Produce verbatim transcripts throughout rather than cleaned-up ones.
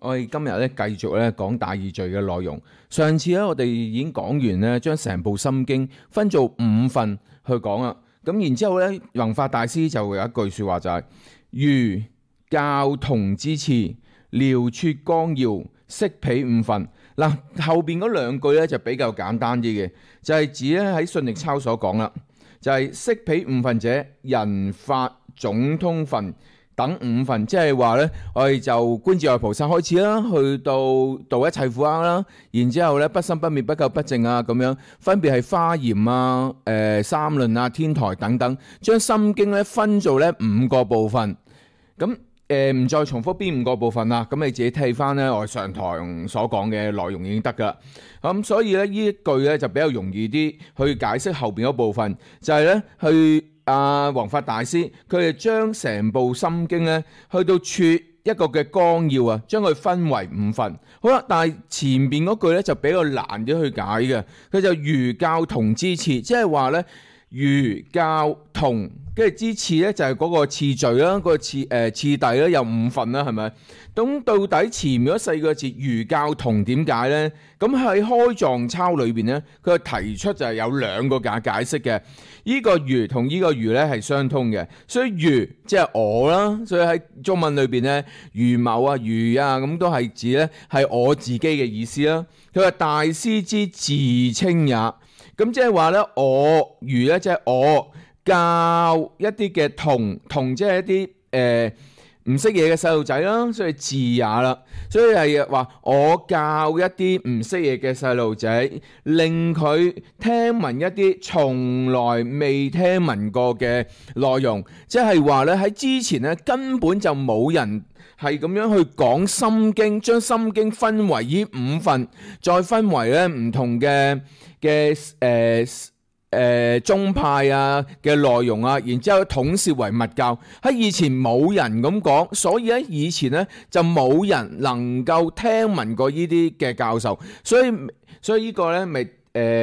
我哋今日咧繼續咧講大義序嘅內容。上次咧我哋已經講完咧，將成部心經分做五份去講啦。咁然之後咧，弘法大師就有一句説話就係、是：儒教同之次，遼撮綱要，釋彼五分。嗱，後邊嗰兩句咧就比較簡單啲嘅，就係、是、指咧喺信力抄所講啦，就係、是、釋彼五分者，人法總通分等五分，即係話咧，我哋就觀自在菩薩開始啦，去到度一切苦厄啦，然之後咧不生不滅不垢不淨啊，咁樣分別係華嚴啊、誒、呃、三論啊、天台等等，將心經咧分做咧五個部分。咁誒唔再重複邊五個部分啦，咁你自己睇翻咧我上堂所講嘅內容已經得噶啦。咁所以咧呢一句咧就比較容易啲去解釋後邊嗰部分，就係、是、咧去。啊，弘法大師佢哋將成部心經咧，去到撮一個嘅綱要啊，將佢分為五份。好啦，但係前邊嗰句咧就比較難啲去解嘅。佢就儒教同之次，即係話咧儒教同跟住之次咧就係嗰個次序啦，嗰、嗰個次誒、呃、次第咧有五份啦，係咪？咁到底前面嗰四個字儒教同點解呢？咁喺開藏抄裏邊呢，佢提出就係有兩個解解釋嘅。呢、這個儒同呢個儒咧係相通嘅，所以儒即係我啦，所以喺中文裏邊呢，儒某啊、儒啊咁都係指咧係我自己嘅意思啦。佢話大師之自稱也，咁即係話咧我儒咧即係我教一啲嘅童童，即係一啲誒。呃唔識嘢嘅細路仔啦，所以自也啦，所以係話我教一啲唔識嘢嘅細路仔，令佢聽聞一啲從來未聽聞過嘅內容，即係話咧喺之前咧根本就冇人係咁樣去講心經，將心經分為呢五份，再分為咧唔同嘅嘅誒。誒、呃、宗派啊嘅內容啊，然之後統攝為密教，喺以前冇人咁講，所以喺以前咧就冇人能夠聽聞過呢啲嘅教授，所以所以個呢個咧咪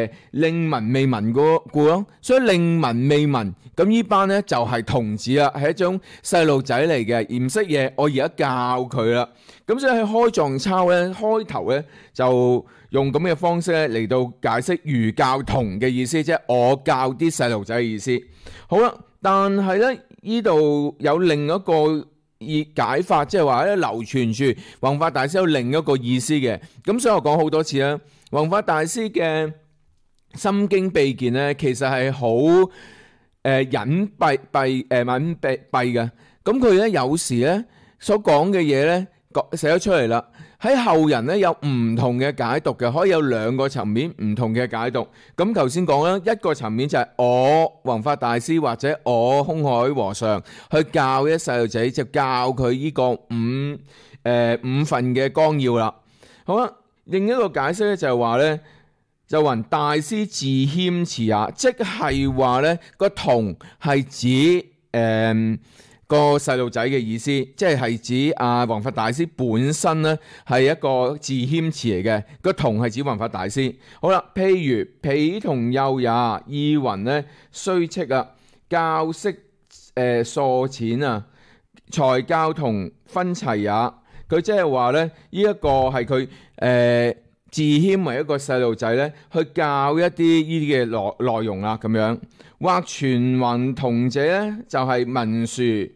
誒令聞未聞過故咯，所以令聞未聞，咁呢班咧就係、是、童子啦，係一種細路仔嚟嘅，而唔識嘢，我而家教佢啦，咁所以喺開藏抄咧開頭咧就。用咁嘅方式咧嚟到解釋儒教同嘅意思，即係我教啲細路仔嘅意思。好啦，但係咧呢度有另一個意解法，即係話咧流傳住弘法大師有另一個意思嘅。咁所以我講好多次啦，弘法大師嘅心經秘見咧，其實係好誒隱蔽蔽誒隱蔽蔽嘅。咁佢咧有時咧所講嘅嘢咧寫咗出嚟啦。喺後人咧有唔同嘅解讀嘅，可以有兩個層面唔同嘅解讀。咁頭先講啦，一個層面就係我弘法大師或者我空海和尚去教一細路仔，就教佢呢個五誒、呃、五份嘅綱要啦。好啦，另一個解釋咧就係話咧，就云大師自謙辭也，即係話咧個同係指誒。呃個細路仔嘅意思，即係係指啊弘法大師本身咧係一個自謙辭嚟嘅，個同係指弘法大師。好啦，譬如彼同幼也，意云咧雖斥啊，教識誒疏淺啊，才教童分齊也。佢即係話咧，呢一個係佢誒自謙為一個細路仔咧，去教一啲呢啲嘅內內容啦，咁樣或傳云童者咧，就係、是、文殊。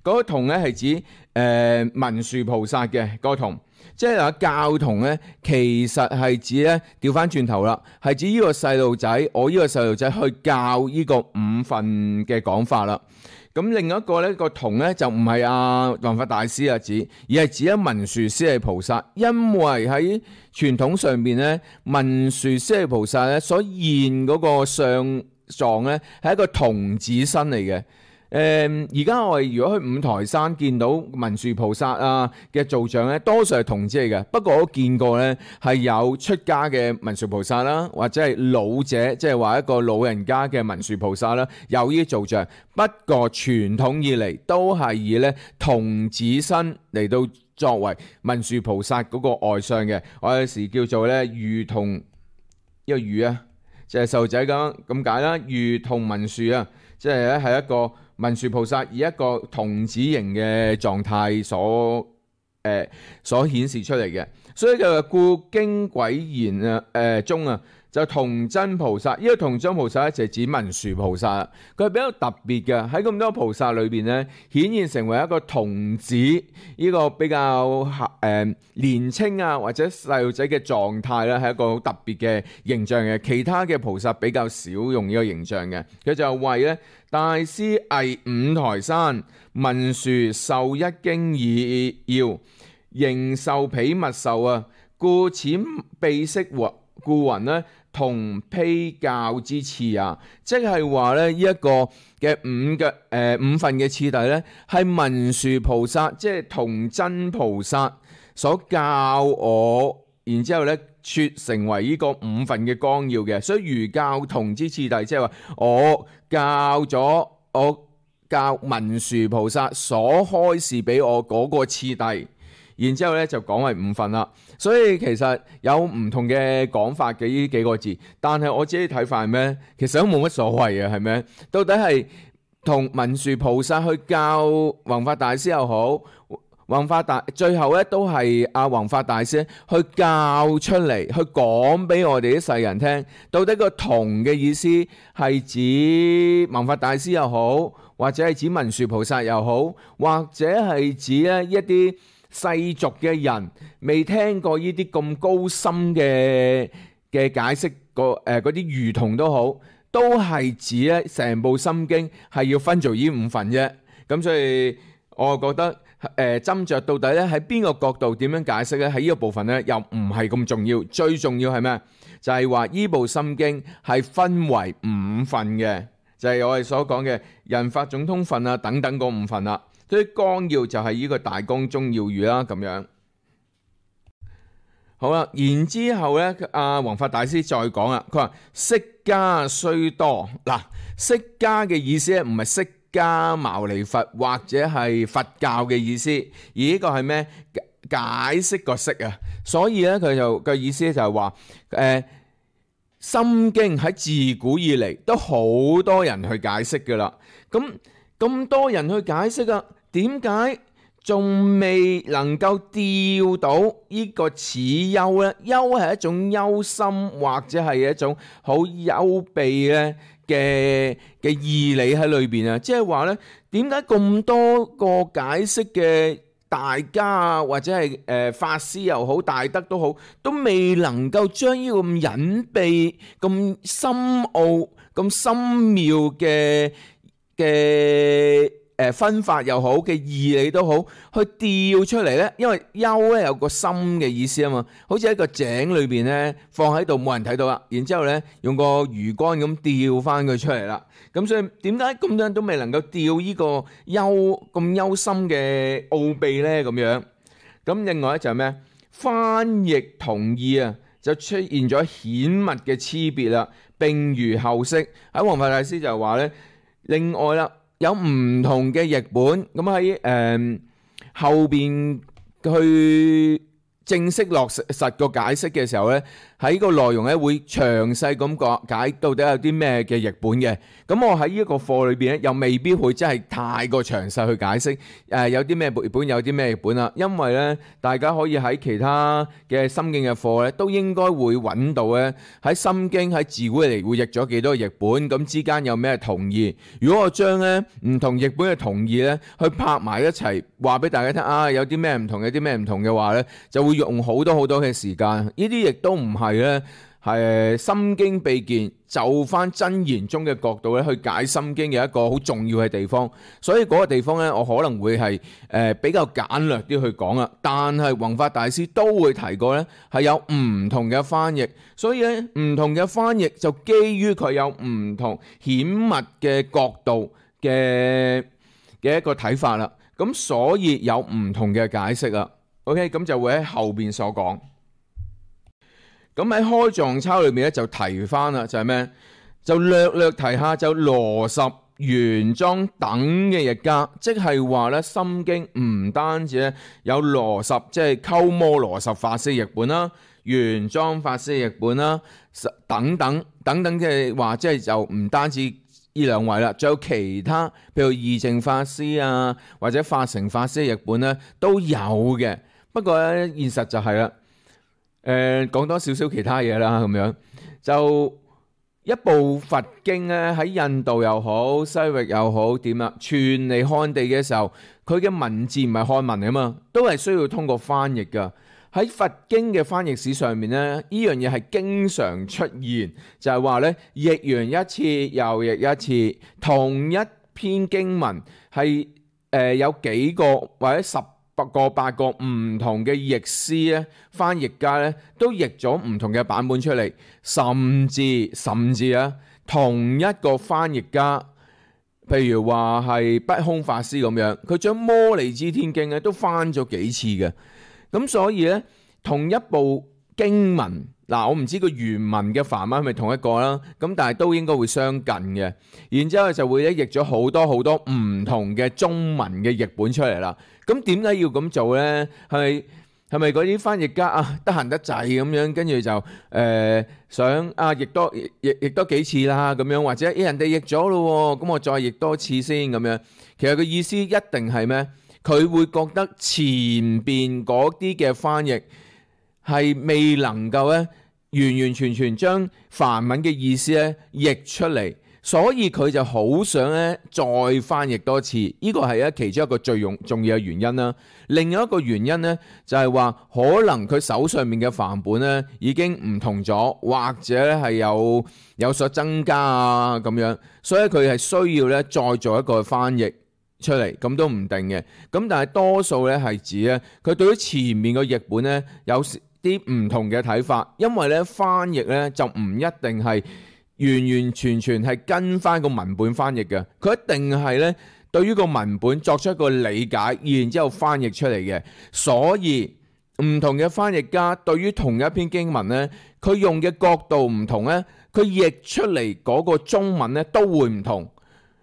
嗰個童咧係指誒、呃、文殊菩薩嘅嗰個童，即係話教童咧，其實係指咧調翻轉頭啦，係指呢個細路仔，我呢個細路仔去教呢個五份嘅講法啦。咁另一個咧個童咧就唔係阿弘法大師啊指，而係指一文殊師利菩薩，因為喺傳統上邊咧，文殊師利菩薩咧所現嗰個相狀咧係一個童子身嚟嘅。誒而家我哋如果去五台山見到文殊菩薩啊嘅造像咧，多數係童子嚟嘅。不過我都見過咧係有出家嘅文殊菩薩啦，或者係老者，即係話一個老人家嘅文殊菩薩啦，有呢啲造像。不過傳統以嚟都係以咧童子身嚟到作為文殊菩薩嗰個外相嘅。我有時叫做咧儒同一個儒啊，就係細路仔咁咁解啦。儒同文殊啊，即係咧係一個。文殊菩薩以一個童子形嘅狀態所誒、呃、所顯示出嚟嘅。所以就故經詭言啊誒中啊，就童真菩薩，呢、這個童真菩薩咧就係指文殊菩薩，佢係比較特別嘅，喺咁多菩薩裏邊咧，顯現成為一個童子呢、這個比較誒、呃、年青啊或者細路仔嘅狀態咧，係一個好特別嘅形象嘅。其他嘅菩薩比較少用呢個形象嘅。佢就為咧大師詣五台山，文殊授一經已要，仍受彼密授啊，故此秘釋故云咧同披教之次啊，即係話咧呢一個嘅五嘅誒、呃、五份嘅次第咧，係文殊菩薩即係童真菩薩所教我，然之後咧撮成為呢個五份嘅綱要嘅。所以如教童之次第，即係話我教咗我教文殊菩薩所開示俾我嗰個次第。然之後咧就講為五份啦，所以其實有唔同嘅講法嘅呢幾個字，但係我自己睇法係咩？其實都冇乜所謂嘅，係咪？到底係同文殊菩薩去教弘法大師又好，弘法大最後咧都係阿弘法大師去教出嚟，去講俾我哋啲世人聽，到底個童嘅意思係指弘法大師又好，或者係指文殊菩薩又好，或者係指咧一啲世俗嘅人未聽過呢啲咁高深嘅嘅解釋，個誒嗰啲魚童都好，都係指咧成部心經係要分做呢五份啫。咁所以我覺得誒斟酌到底咧喺邊個角度點樣解釋咧，喺呢個部分咧又唔係咁重要，最重要係咩？就係話呢部心經係分為五份嘅，就係我哋所講嘅人法總通分啊等等嗰五份啦。所以綱要就係呢個大綱中要語啦，咁樣好啦。然之後咧，阿弘法大師再講啦，佢話釋迦雖多，嗱，釋迦嘅意思咧唔係釋迦牟尼佛或者係佛教嘅意思，而呢個係咩？解釋個釋啊。所以咧佢就嘅意思就係話，誒、呃，心經喺自古以嚟都好多人去解釋噶啦，咁咁多人去解釋啊。點解仲未能夠釣到呢個此憂呢？憂係一種憂心或者係一種好幽秘咧嘅嘅義理喺裏邊啊！即係話呢，點解咁多個解釋嘅大家啊，或者係誒、呃、法師又好，大德都好，都未能夠將呢個咁隱秘、咁深奧、咁深妙嘅嘅誒分法又好嘅義理都好，去調出嚟咧，因為幽咧有個深嘅意思啊嘛，好似喺個井裏邊咧放喺度冇人睇到啦，然之後咧用個魚竿咁釣翻佢出嚟啦。咁所以點解咁多人都未能夠釣呢個幽咁幽深嘅奧秘咧？咁樣咁另外咧就係咩？翻譯同義啊，就出現咗顯密嘅差別啦。並如後釋喺弘法大師就話咧，另外啦。有唔同嘅譯本，咁喺誒後邊去正式落實個解釋嘅時候呢，喺個內容咧會詳細咁講解到底有啲咩嘅譯本嘅。咁我喺呢一個課裏邊咧，又未必會真係太過詳細去解釋誒、呃、有啲咩譯本，有啲咩譯本啦。因為呢，大家可以喺其他嘅心經嘅課咧，都應該會揾到咧喺心經喺自古嚟會譯咗幾多個譯本，咁之間有咩同義。如果我將咧唔同譯本嘅同義咧去拍埋一齊，話俾大家聽啊，有啲咩唔同，有啲咩唔同嘅話咧，就會用好多好多嘅時間。呢啲亦都唔係咧。係心經秘見就翻真言中嘅角度咧去解心經嘅一個好重要嘅地方，所以嗰個地方咧我可能會係誒、呃、比較簡略啲去講啦。但係弘法大師都會提過咧係有唔同嘅翻譯，所以咧唔同嘅翻譯就基於佢有唔同顯密嘅角度嘅嘅一個睇法啦。咁所以有唔同嘅解釋啦。OK， 咁就會喺後邊所講。咁喺開藏抄裏面咧就提翻啦，就係咩？就略略提下就羅什、玄奘等嘅譯家，即係話咧《心經》唔單止咧有羅什，即係鳩摩羅什法師譯本啦，玄奘法師譯本啦，等等等等，即係話即係就唔單止呢兩位啦，仲有其他，譬如義淨法師啊，或者法成法師譯本咧都有嘅。不過咧現實就係啦，誒、呃、講多少少其他嘢啦，咁樣就一部佛經咧喺印度又好，西域又好，點啊傳嚟漢地嘅時候，佢嘅文字唔係漢文啊嘛，都係需要通過翻譯噶。喺佛經嘅翻譯史上面咧，呢樣嘢係經常出現，就係話咧譯完一次又譯一次，同一篇經文係誒、呃、有幾個或者十個八個唔同嘅譯師咧，翻譯家咧都譯咗唔同嘅版本出嚟，甚至甚至啊同一個翻譯家，譬如話係不空法師咁樣，佢將摩利支天經咧都翻咗幾次嘅。咁所以咧，同一部經文嗱，我唔知個原文嘅梵文係咪同一個啦，咁但係都應該會相近嘅。然之後就會咧譯咗好多好多唔同嘅中文嘅譯本出嚟啦。咁點解要咁做咧？係咪係咪嗰啲翻譯家啊得閒得滯咁樣，跟住就誒、呃、想啊譯多譯譯多幾次啦咁樣，或者誒人哋譯咗咯，咁我再譯多次先咁樣。其實個意思一定係咩？佢會覺得前邊嗰啲嘅翻譯係未能夠咧完完全全將梵文嘅意思咧譯出嚟，所以佢就好想咧再翻譯多次。呢個係咧其中一個最重重要嘅原因啦。另外一個原因咧就係話，可能佢手上面嘅梵本咧已經唔同咗，或者係有有所增加啊咁樣，所以佢係需要咧再做一個翻譯出嚟，咁都唔定嘅。咁但係多數咧係指咧，佢對於前面個譯本咧有啲唔同嘅睇法，因為咧翻譯咧就唔一定係完完全全係跟翻個文本翻譯嘅，佢一定係咧對於個文本作出一個理解，然之後翻譯出嚟嘅。所以唔同嘅翻譯家對於同一篇經文咧，佢用嘅角度唔同咧，佢譯出嚟嗰個中文咧都會唔同。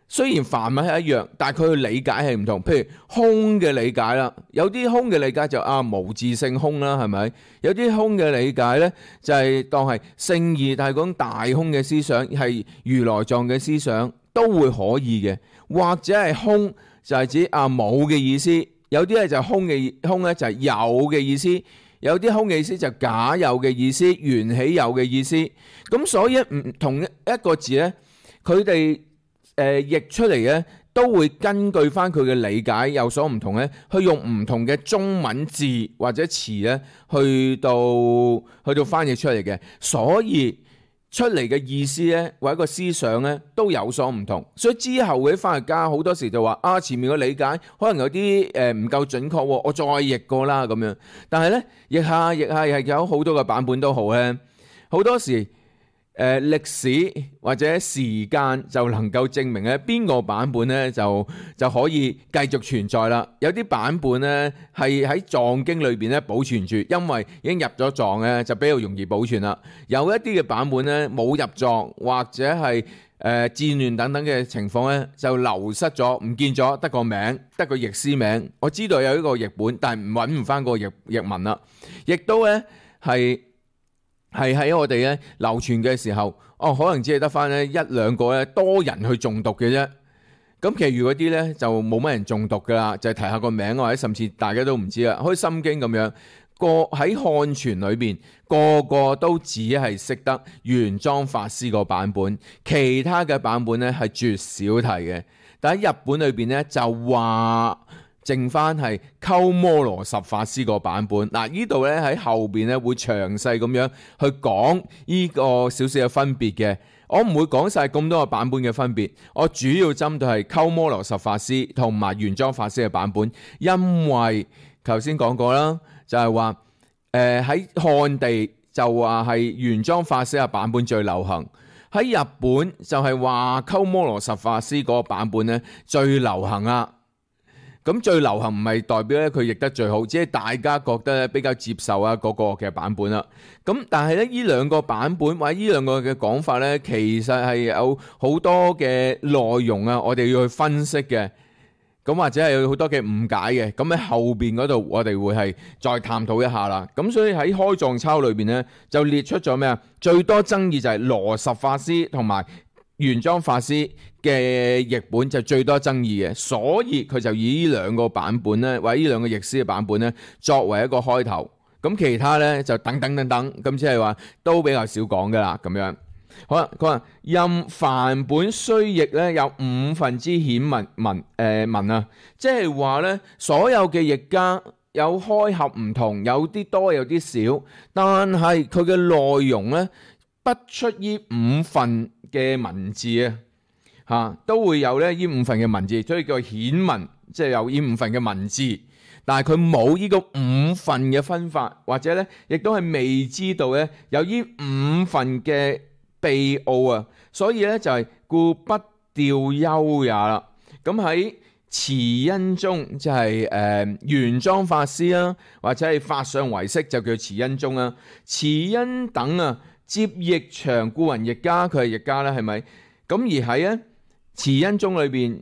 雖然梵文係一樣，但係佢嘅理解係唔同。譬如空嘅理解啦，有啲空嘅理解就啊無自性空啦，係咪？有啲空嘅理解呢，就係、是、當係聖義，但係講大空嘅思想係如來藏嘅思想都會可以嘅。或者係空就係指啊冇嘅意思，有啲咧就空嘅空咧就係有嘅意思，有啲空嘅意思就假有嘅意思，緣起有嘅意思。咁所以唔同一個字呢，佢哋誒、呃、譯出嚟咧，都會根據翻佢嘅理解有所唔同咧，去用唔同嘅中文字或者詞咧，去到去到翻譯出嚟嘅。所以出嚟嘅意思咧，或者個思想咧，都有所唔同。所以之後嗰啲翻譯家好多時就話啊，前面嘅理解可能有啲誒唔夠準確，我再譯過啦咁樣。但係咧，譯下譯下係有好多個版本都好咧，好多時。誒、呃、歷史或者時間就能夠證明咧邊個版本咧就就可以繼續存在啦。有啲版本咧係喺藏經裏邊咧保存住，因為已經入咗藏咧就比較容易保存啦。有一啲嘅版本咧冇入藏或者係誒、呃、戰亂等等嘅情況咧就流失咗，唔見咗，得個名，得個譯師名。我知道有呢個譯本，但係揾唔翻個譯譯文啦。亦都咧係。係喺我哋咧流傳嘅時候，哦，可能只係得翻咧一兩個咧多人去誦讀嘅啫。咁其餘嗰啲咧就冇乜人誦讀噶啦，就係、是、提下個名或者甚至大家都唔知啦。好似心經咁樣，個喺漢傳裏邊個個都只係識得玄奘法師個版本，其他嘅版本咧係絕少提嘅。但喺日本裏邊咧就話。剩翻係鳩摩羅什法師個版本，嗱呢度咧喺後邊咧會詳細咁樣去講呢個少少嘅分別嘅。我唔會講晒咁多個版本嘅分別，我主要針對係鳩摩羅什法師同埋玄奘法師嘅版本，因為頭先講過啦，就係話誒喺漢地就話係玄奘法師嘅版本最流行，喺日本就係話鳩摩羅什法師嗰個版本咧最流行啊。咁最流行唔係代表咧佢譯得最好，只係大家覺得咧比較接受啊嗰個嘅版本啦。咁但係咧呢兩個版本或者呢兩個嘅講法咧，其實係有好多嘅內容啊，我哋要去分析嘅。咁或者係有好多嘅誤解嘅。咁喺後邊嗰度我哋會係再探討一下啦。咁所以喺開藏抄裏邊咧就列出咗咩啊？最多爭議就係羅什法師同埋玄奘法師嘅譯本就最多爭議嘅，所以佢就以呢兩個版本咧，或者呢兩個譯師嘅版本咧，作為一個開頭。咁其他咧就等等等等，咁即係話都比較少講噶啦，咁樣。好啦，佢話任梵本須譯咧有五分之顯文文誒、呃、文啊，即係話咧所有嘅譯家有開合唔同，有啲多有啲少，但係佢嘅內容咧不出呢五份嘅文字啊，嚇都會有咧呢五份嘅文字，所以叫顯文，即係有呢五份嘅文字。但係佢冇呢個五份嘅分法，或者咧亦都係未知道咧有呢五份嘅秘奧啊，所以咧就係故不調優也啦。咁喺慈恩宗即係誒玄奘法師啦，或者係法相唯識就叫慈恩宗啦。慈恩等啊接譯長故雲譯家，佢係譯家啦，係咪？咁而喺咧慈恩宗裏邊，誒、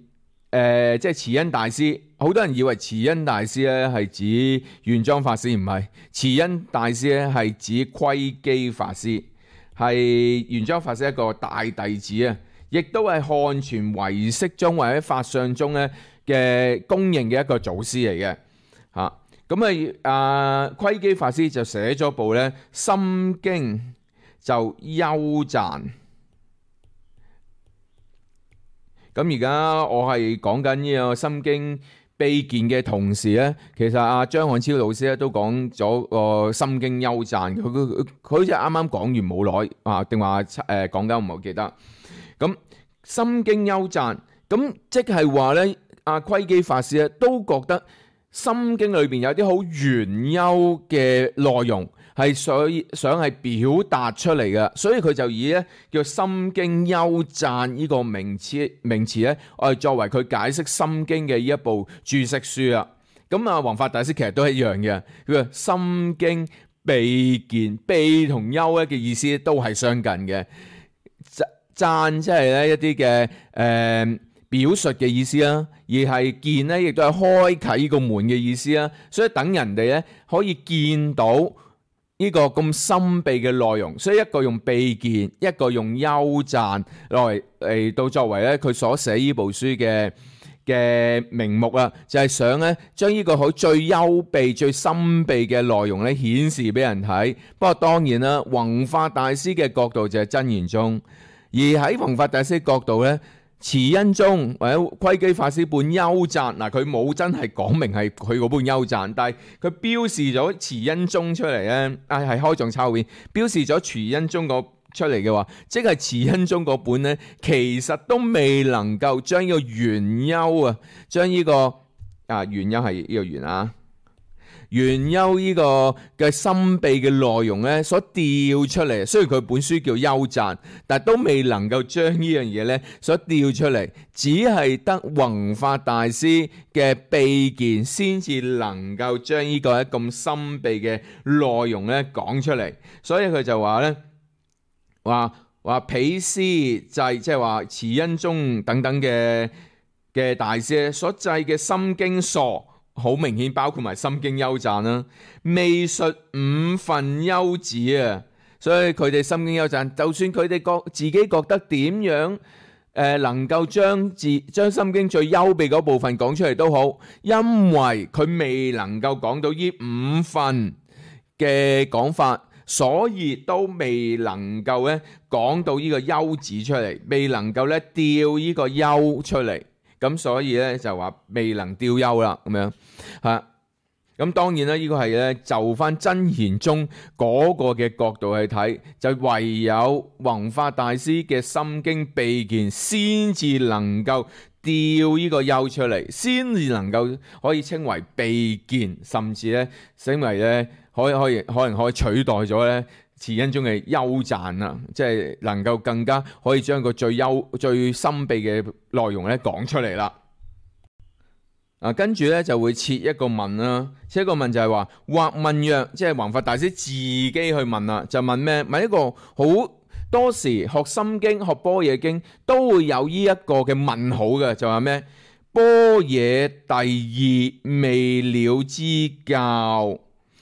呃、即係慈恩大師，好多人以為慈恩大師咧係指玄奘法師，唔係，慈恩大師咧係指窺基法師，係玄奘法師一個大弟子啊，亦都係漢傳唯識宗或者法相宗咧嘅公認嘅一個祖師嚟嘅嚇。咁啊啊窺基法師就寫咗部咧《心經》，就優讚。咁而家我係講緊呢個《心經》秘見嘅同時咧，其實阿張漢超老師咧都講咗個《心經》優讚。佢佢佢好似啱啱講完冇耐啊，定話誒講緊唔係好記得。咁《心經》優讚，咁即係話咧，阿窺基法師咧都覺得《心經》裏邊有啲好玄幽嘅內容，係想想係表達出嚟嘅，所以佢就以咧叫《心經優讚》呢個名詞名詞咧，我哋作為佢解釋《心經》嘅呢一部注釋書啦。咁啊，弘法大師其實都係一樣嘅，佢話《心經》秘見，秘同優咧嘅意思都係相近嘅。讚即係咧一啲嘅誒表述嘅意思啦，而係見咧亦都係開啟呢個門嘅意思啦。所以等人哋咧可以見到呢個咁深秘嘅內容，所以一個用秘見，一個用優讚來嚟到作為咧佢所寫呢部書嘅嘅名目啊，就係想咧將呢個好最幽秘、最深秘嘅內容咧顯示俾人睇。不過當然啦，弘法大師嘅角度就係真言宗，而喺弘法大師角度咧，慈恩宗或者窺基法師本優讚，嗱佢冇真係講明係佢嗰本優讚，但係佢標示咗慈恩宗出嚟咧，啊係開藏抄本標示咗慈恩宗個出嚟嘅話，即係慈恩宗嗰本咧，其實都未能夠將呢個玄幽啊，將呢、這個啊玄幽係呢個玄啊。玄幽呢個嘅深秘嘅內容咧，所調出嚟，雖然佢本書叫優讚，但係都未能夠將呢樣嘢咧所調出嚟，只係得弘法大師嘅秘見先至能夠將呢個咁深秘嘅內容咧講出嚟。所以佢就話咧，話話彼師制，即係話慈恩宗等等嘅嘅大師所制嘅心經疏。好明顯包括埋心經優讚啦，未述五分優旨啊，所以佢哋心經優讚，就算佢哋覺自己覺得點樣誒、呃、能夠將自將心經最優秘嗰部分講出嚟都好，因為佢未能夠講到呢五分嘅講法，所以都未能夠咧講到呢個優旨出嚟，未能夠咧調呢個優出嚟。咁所以咧就話未能調優啦，咁樣嚇。咁當然啦，呢個係咧就翻真言宗嗰個嘅角度去睇，就唯有弘法大師嘅心經秘見先至能夠調呢個優出嚟，先至能夠可以稱為秘見，甚至咧稱為咧可以可以可能可以取代咗咧慈恩宗嘅優讚啊，即係能夠更加可以將個最優最深秘嘅內容咧講出嚟啦。啊，跟住咧就會設一個問啦，設一個問就係話，或問曰，即係弘法大師自己去問啦，就問咩？問一個好多時學心經、學般若經都會有呢一個嘅問號嘅，就話咩？般若第二未了之教。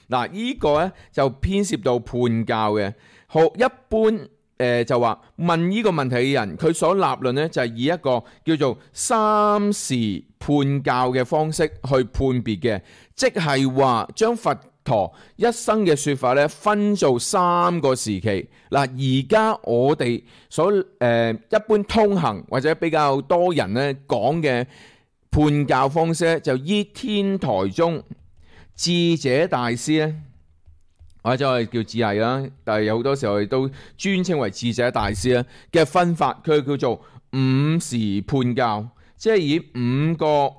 嗱，呢個咧就牽涉到判教嘅。學一般誒就話問呢個問題嘅人，佢所立論呢，就係以一個叫做三時判教嘅方式去判別嘅，即係話將佛陀一生嘅說法咧分做三個時期。嗱，而家我哋所誒、呃、一般通行或者比較多人咧講嘅判教方式咧，就依天台宗智者大師咧，或者我哋叫智毅啦，但係有好多時候我哋都尊稱為智者大師咧嘅分法，佢叫做五時判教，即係以五個誒、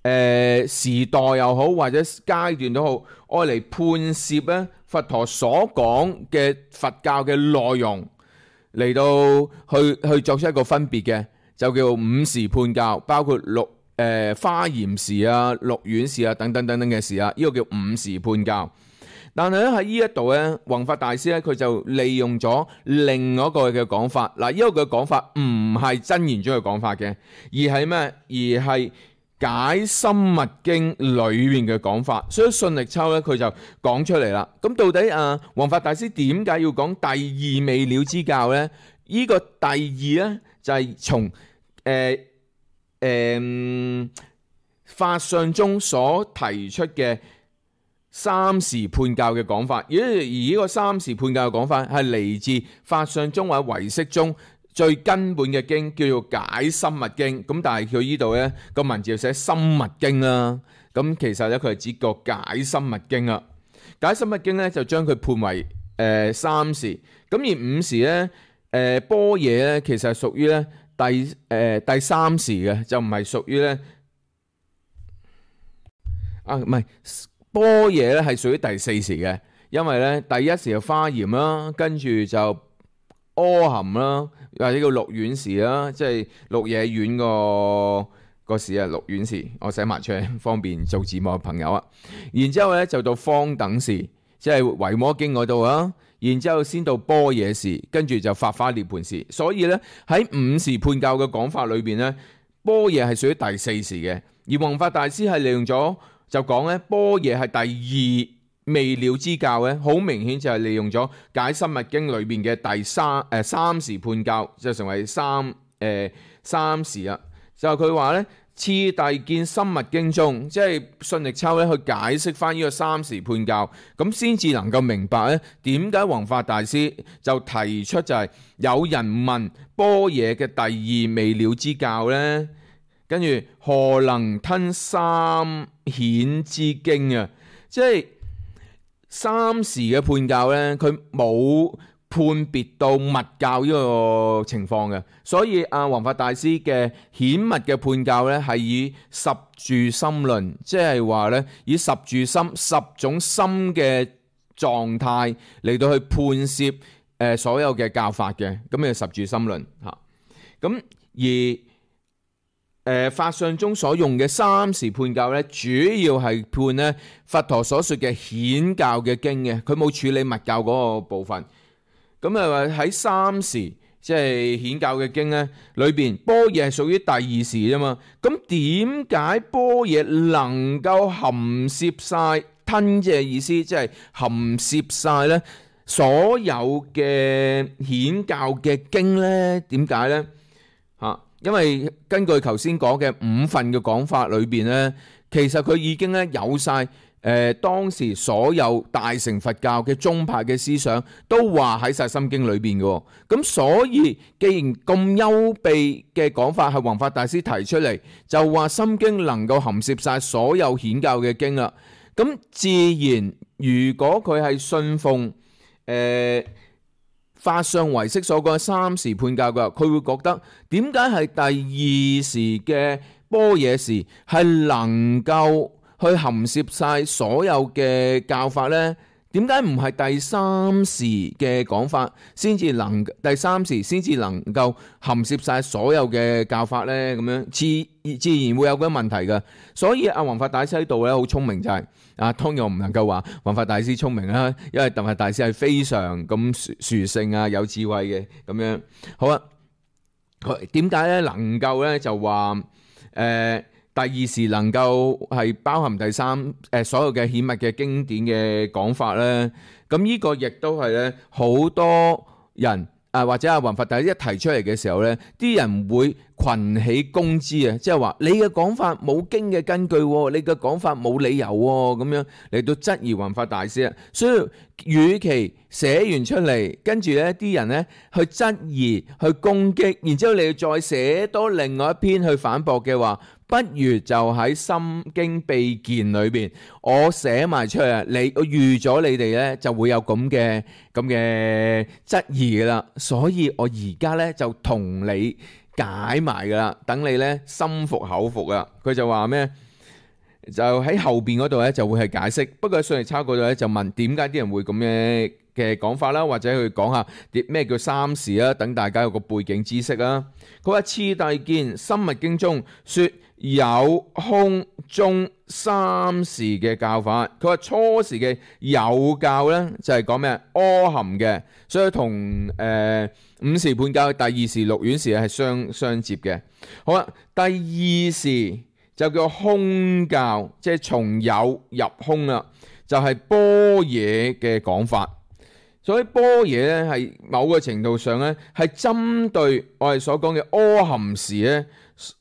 呃、時代又好或者階段都好，愛嚟判涉咧佛陀所講嘅佛教嘅內容嚟到去去作出一個分別嘅，就叫五時判教，包括六誒、呃、華嚴時啊、六院時啊等等等等嘅時啊，呢、這個叫五時判教。但係咧喺呢一度咧，弘法大師咧佢就利用咗另一個嘅講法。嗱，呢個嘅講法唔係真言宗嘅講法嘅，而係咩？而係解深密經裏面嘅講法。所以信力秋咧佢就講出嚟啦。咁到底啊弘法大師點解要講第二未了之教咧？呢、這個第二咧就係從誒誒法相宗所提出嘅三時判教嘅講法，而而呢個三時判教嘅講法係嚟自法相宗或者唯識宗最根本嘅經，叫做解深密經。咁但係佢呢度咧個文字就寫深密經啦。咁其實咧佢係指個解深密經啦。解深密經咧就將佢判為誒、呃、三時。咁而五時咧誒般若咧其實係屬於咧第誒、呃、第三時嘅，就唔係屬於咧啊唔係。般若咧係屬於第四時嘅，因為咧第一時就華嚴啦，跟住就阿含啦，或者叫六院時啦，即係鹿野苑個個時啊，六院時，我寫埋出嚟方便做字幕嘅朋友啊。然之後咧就到方等時，即係維摩經嗰度啊。然之後先到般若時，跟住就法華涅槃時。所以咧喺五時判教嘅講法裏邊咧，般若係屬於第四時嘅，而弘法大師係利用咗。就講咧，般若係第二未了之教咧，好明顯就係利用咗解深密經裏邊嘅第三誒、呃、三時判教，就成為三誒、呃、三時啦。就佢話咧，次第見深密經中，即係信力秋咧去解釋翻呢個三時判教，咁先至能夠明白咧點解弘法大師就提出就係有人問般若嘅第二未了之教咧。跟住何能吞三顯之經啊？即係三時嘅判教咧，佢冇判別到密教呢個情況嘅，所以阿弘法大師嘅顯密嘅判教咧，係以十住心論，即係話咧以十住心十種心嘅狀態嚟到去判攝誒所有嘅教法嘅，咁嘅十住心論嚇。咁而誒、呃、法相宗所用嘅三時判教咧，主要係判咧佛陀所說嘅顯教嘅經嘅，佢冇處理密教嗰個部分。咁啊喺三時即係顯教嘅經咧裏邊，般若係屬於第二時啫嘛。咁點解般若能夠含攝晒吞嘅意思，即係含攝晒咧所有嘅顯教嘅經咧？點解咧？嚇？因為根據頭先講嘅五份嘅講法裏邊咧，其實佢已經咧有晒誒、呃、當時所有大乘佛教嘅宗派嘅思想，都話喺晒心經裏邊嘅。咁所以既然咁優秘嘅講法係弘法大師提出嚟，就話心經能夠含攝晒所有顯教嘅經啦。咁自然如果佢係信奉誒、呃法相唯識所講嘅三時判教嘅，佢會覺得點解係第二時嘅般若時係能夠去含攝晒所有嘅教法呢？點解唔係第三時嘅講法先至能第三時先至能夠含攝晒所有嘅教法呢？咁樣自自然會有嗰啲問題嘅。所以阿弘法大師喺度咧好聰明就係、是、啊，當然我唔能夠話弘法大師聰明啦，因為弘法大師係非常咁殊殊勝啊，有智慧嘅咁樣。好啊，點解咧能夠咧就話誒？呃第二時能夠係包含第三誒、呃、所有嘅顯密嘅經典嘅講法咧，咁呢個亦都係咧好多人啊或者阿弘法大師一提出嚟嘅時候咧，啲人會群起攻之啊，即係話你嘅講法冇經嘅根據，你嘅講法冇理由咁樣嚟到質疑弘法大師啊。所以與其寫完出嚟，跟住咧啲人咧去質疑、去攻擊，然之後你再寫多另外一篇去反駁嘅話，不如就喺《心經秘見》裏邊，我寫埋出嚟，你我預咗你哋咧就會有咁嘅咁嘅質疑噶啦，所以我而家咧就同你解埋噶啦，等你咧心服口服啊。佢就話咩？就喺後邊嗰度咧就會係解釋，不過喺信力抄嗰度咧就問點解啲人會咁嘅嘅講法啦，或者去講下啲咩叫三時啊，等大家有個背景知識啊。佢話次第見《心密經》中說有空中三時嘅教法。佢話初時嘅有教咧就係講咩？阿含嘅，所以同誒、呃、五時判教第二時六院時係相相接嘅。好啦，第二時就叫空教，即係從有入空啦，就係般若嘅講法。所以般若咧係某個程度上咧係針對我哋所講嘅阿含時咧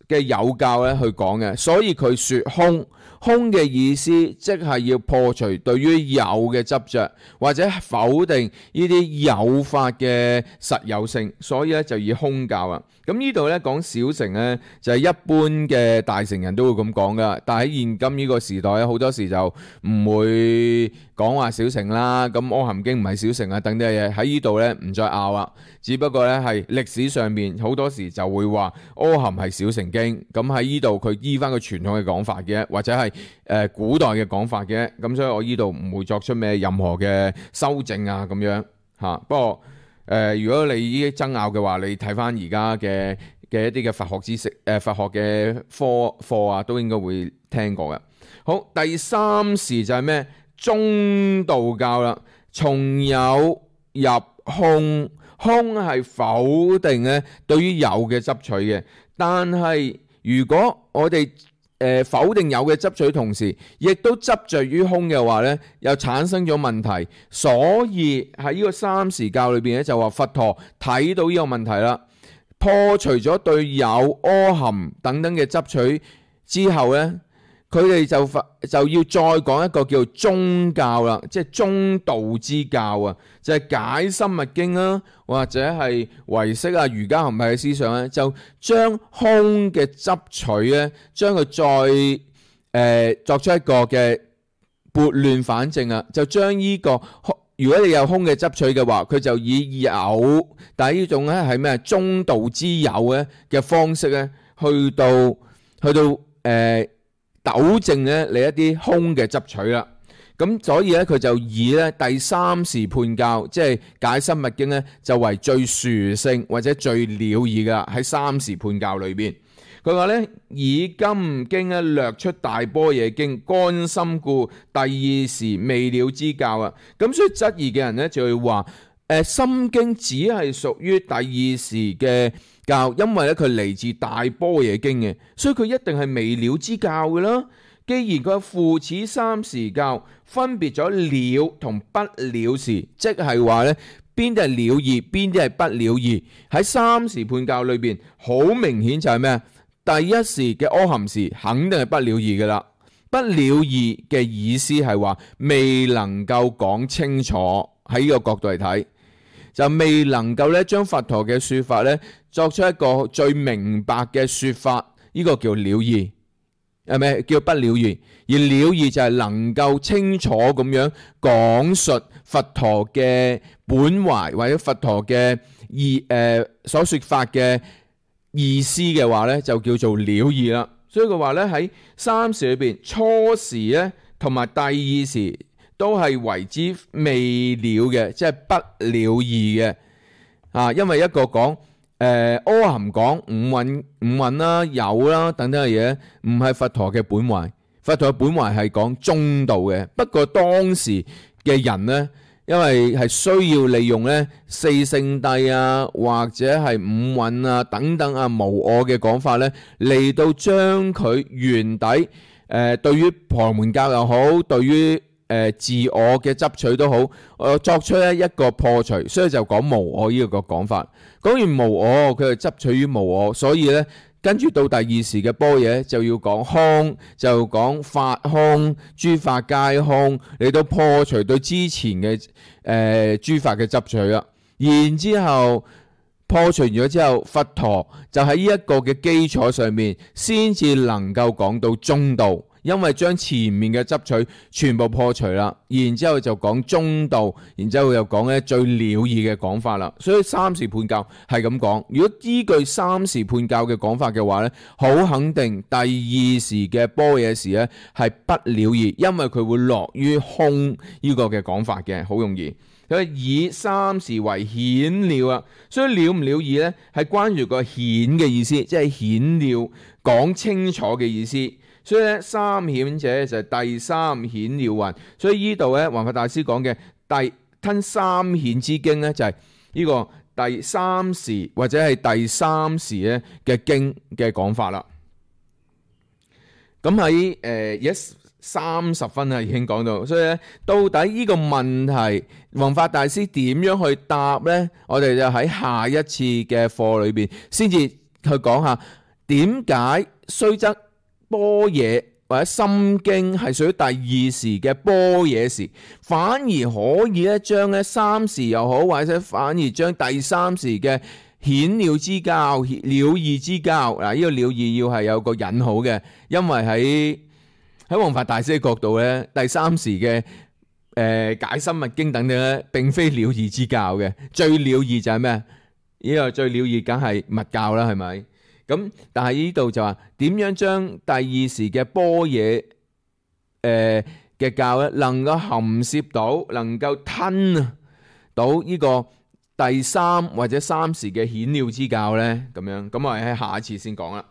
嘅有教咧去講嘅，所以佢說空。空嘅意思即係要破除對於有嘅執着，或者否定呢啲有法嘅實有性，所以咧就以空教啊。咁呢度咧講小乘咧就係一般嘅大乘人都會咁講噶，但係喺現今呢個時代咧好多時就唔會講話小乘啦。咁阿含經唔係小乘啊，等啲嘢喺呢度咧唔再拗啦。只不過咧係歷史上面好多時就會話阿含係小乘經，咁喺呢度佢依翻個傳統嘅講法嘅，或者係誒、呃、古代嘅講法嘅，咁所以我呢度唔會作出咩任何嘅修正啊咁樣嚇、啊。不過誒、呃，如果你依啲爭拗嘅話，你睇翻而家嘅嘅一啲嘅佛學知識誒、呃、佛學嘅科課啊，都應該會聽過嘅。好，第三時就係咩？中道教啦，從有入空。空係否定咧對於有嘅執取嘅，但係如果我哋誒、呃、否定有嘅執取同時，亦都執着於空嘅話咧，又產生咗問題。所以喺呢個三時教裏邊咧，就話佛陀睇到呢個問題啦，破除咗對有阿含等等嘅執取之後咧，佢哋就就要再講一個叫中教啦，即係中道之教啊，就係、是、解心密經啦，或者係唯識啊、瑜伽行派嘅思想咧，就將空嘅執取咧，將佢再誒、呃、作出一個嘅撥亂反正啊，就將呢、這個如果你有空嘅執取嘅話，佢就以有，但係呢種咧係咩中道之有咧嘅方式咧，去到去到誒。呃糾正咧你一啲空嘅執取啦，咁所以咧佢就以咧第三時判教，即係解心密經咧，就為最殊勝或者最了義噶喺三時判教裏邊。佢話咧以金經咧略出大般若經乾心故第二時未了之教啊，咁所以質疑嘅人咧就會話誒心經只係屬於第二時嘅教，因為咧佢嚟自大般若經嘅，所以佢一定係未了之教嘅啦。既然佢父此三時教分別咗了同不了時，即係話咧邊啲係了義，邊啲係不了義。喺三時判教裏邊，好明顯就係咩？第一時嘅阿含時肯定係不了義噶啦。不了義嘅意思係話未能夠講清楚，喺呢個角度嚟睇，就未能夠咧將佛陀嘅說法咧作出一個最明白嘅說法，呢、這個叫了義，係咪叫不了義？而了義就係能夠清楚咁樣講述佛陀嘅本懷或者佛陀嘅意誒所說法嘅意思嘅話咧，就叫做了義啦。所以佢話咧喺三時裏邊，初時咧同埋第二時都係為之未了嘅，即係不了義嘅啊。因為一個講誒阿含講五蘊五蘊啦、有啦等等嘅嘢，唔係佛陀嘅本懷。佛陀嘅本懷係講中道嘅。不過當時嘅人咧，因為係需要利用咧四聖諦啊，或者係五蘊啊等等啊無我嘅講法咧，嚟到將佢原底誒、呃、對於婆羅門教又好，對於呃、自我嘅執取都好，我作出咧一個破除，所以就講無我呢個講法。講完無我，佢就執取於無我，所以咧跟住到第二時嘅般若就要講空，就講法空，諸法皆空，嚟到破除對之前嘅誒、呃、諸法嘅執取啦。然之後破除咗之後，佛陀就喺呢一個嘅基礎上面，先至能夠講到中道，因為將前面嘅執取全部破除啦。然之後就講中道，然之後又講咧最了義嘅講法啦。所以三時判教係咁講。如果依據三時判教嘅講法嘅話咧，好肯定第二時嘅般若時咧係不了義，因為佢會落於空呢個嘅講法嘅，好容易。佢以三時為顯了啊，所以了唔了義咧係關於個顯嘅意思，即係顯了講清楚嘅意思。所以咧三顯者就係第三顯了云。所以呢度咧弘法大師講嘅第吞三顯之經咧就係呢個第三時或者係第三時咧嘅經嘅講法啦。咁喺誒一三十分啊已經講到，所以咧到底呢個問題弘法大師點樣去答呢？我哋就喺下一次嘅課裏邊先至去講下點解雖則般若或者心經係屬於第二時嘅般若時，反而可以咧將咧三時又好，或者反而將第三時嘅顯了之教、了義之教嗱，呢個了義要係有個引號嘅，因為喺喺弘法大師嘅角度咧，第三時嘅誒、呃、解深密經等等咧，並非了義之教嘅，最了義就係咩？呢個最了義梗係密教啦，係咪？咁但係呢度就話點樣將第二時嘅般若誒嘅教咧，能夠含攝到，能夠吞到呢個第三或者三時嘅顯了之教咧？咁樣咁我哋喺下一次先講啦。